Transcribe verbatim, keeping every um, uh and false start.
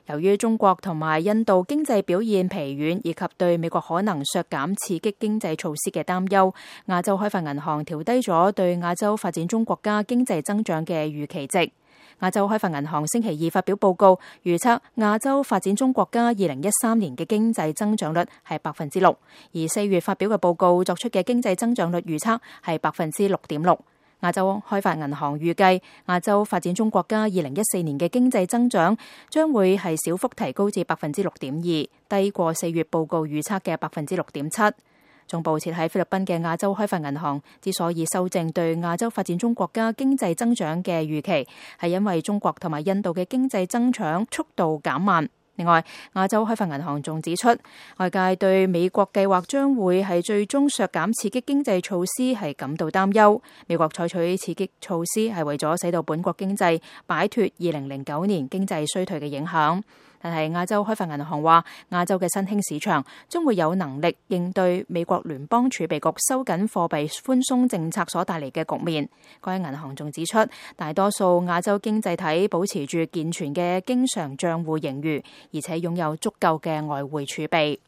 由於中國同埋印度經濟表現疲軟，以及對美國可能削減刺激經濟措施嘅擔憂，亞洲開發銀行調低咗對亞洲發展中國家經濟增長嘅預期值。亞洲開發銀行星期二發表報告，預測亞洲發展中國家二零一三年嘅經濟增長率係百分之六，而四月發表嘅報告作出嘅經濟增長率預測係百分之六點六。亞洲開發銀行預計亞洲發展中國家二零一四年嘅經濟增長將會係小幅提高至百分之六點二，低過四月報告預測嘅百分之六點七。總部設喺菲律賓嘅亞洲開發銀行之所以修正對亞洲發展中國家經濟增長嘅預期，係因為中國同埋印度嘅經濟增長速度減慢。另外，亞洲開發銀行仲指出，外界對美國計劃將會係最終削減刺激經濟措施係感到擔憂。美國採取刺激措施係為咗使到本國經濟擺脫二零零九年經濟衰退嘅影響。但係亞洲開發銀行話，亞洲嘅新興市場將會有能力應對美國聯邦儲備局收緊貨幣寬鬆政策所帶嚟嘅局面。該銀行仲指出，大多數亞洲經濟體保持住健全嘅經常帳戶盈餘，而且擁有足夠嘅外匯儲備。